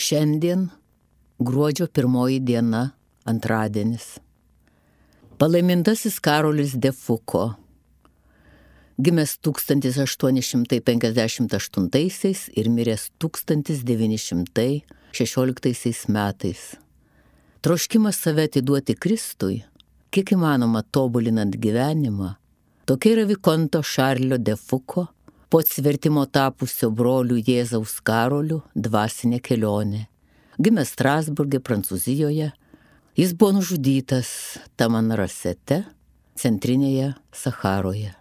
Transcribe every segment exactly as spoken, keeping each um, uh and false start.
Šiandien gruodžio pirmoji diena, antradienis. Palaimintasis Karolis de Foucault, gimęs tūkstantis aštuoni šimtai penkiasdešimt aštuntaisiais ir miręs tūkstantis devyni šimtai šešioliktaisiais metais. Troškimas save atiduoti Kristui, kiek įmanoma tobulinant gyvenimą, tokia yra Vikonto Šarlio de Foucault, po atsivertimo tapusio brolių Jėzaus Karoliu dvasinė kelionė. Gimęs Strasburge, Prancūzijoje, jis buvo nužudytas Tamanrasete, centrinėje Sacharoje.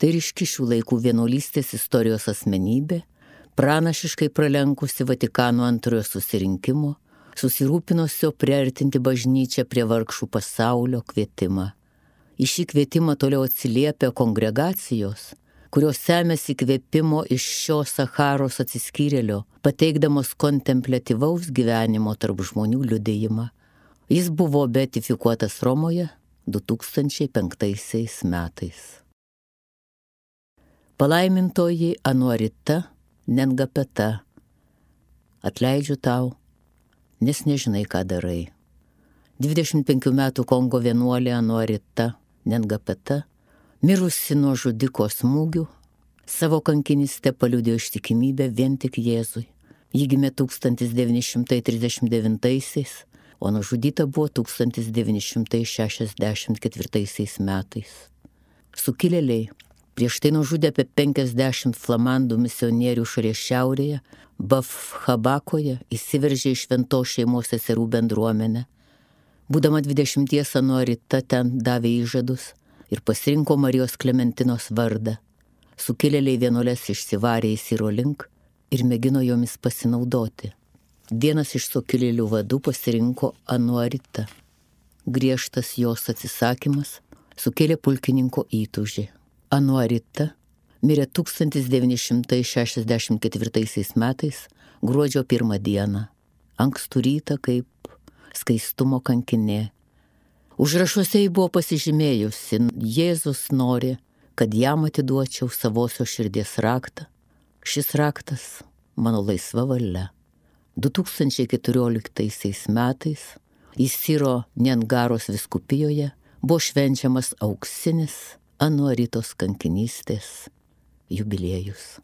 Tai ryški šių laikų vienuolystės istorijos asmenybė, pranašiškai pralenkusi Vatikano antrojo susirinkimo, susirūpinusio priartinti bažnyčią prie vargšų pasaulio kvietimą. Į šį kvietimą toliau atsiliepia kongregacijos, kurios semėsi įkvėpimo iš šio Sacharos atsiskyrėlio, pateikdamos kontempliatyvaus gyvenimo tarp žmonių liudijimą. Jis buvo beatifikuotas Romoje du tūkstančiai penktaisiais metais. Palaimintoji Anuarita Nengapeta, atleidžiu tau, nes nežinai, ką darai. dvidešimt penkių metų Kongo vienuolė Anuarita Nengapeta, mirusi nuo žudiko smūgių, savo kankinystę paliudijo ištikimybę vien tik Jėzui. Ji gimė tūkstantis devyni šimtai trisdešimt devintaisiais, o nužudyta buvo tūkstantis devyni šimtai šešiasdešimt ketvirtaisiais metais. Sukilėliai prieš tai nužudė apie penkiasdešimt flamandų misionierių šalies šiaurėje, Bafhabakoje, įsiveržė į šventos šeimos seserų bendruomenę. Būdama dvidešimties, Anuarita ten davė įžadus ir pasirinko Marijos Klementinos vardą. Sukilėliai vienuoles išsivarė į Siro link ir mėgino jomis pasinaudoti. Vienas iš sukilėlių vadų pasirinko Anuaritą. Griežtas jos atsisakymas sukėlė pulkininko įtūžį. Anuarita mirė tūkstantis devyni šimtai šešiasdešimt ketvirtaisiais metais gruodžio pirmą dieną, ankstų rytą kaip skaistumo kankinė. Užrašuose ji buvo pasižymėjusi: Jėzus nori, kad jam atiduočiau savosios širdies raktą. Šis raktas mano laisva valia. du tūkstančiai keturioliktaisiais metais į Siro Niangaros vyskupijoje buvo švenčiamas auksinis Anuaritos kankinystės jubiliejus.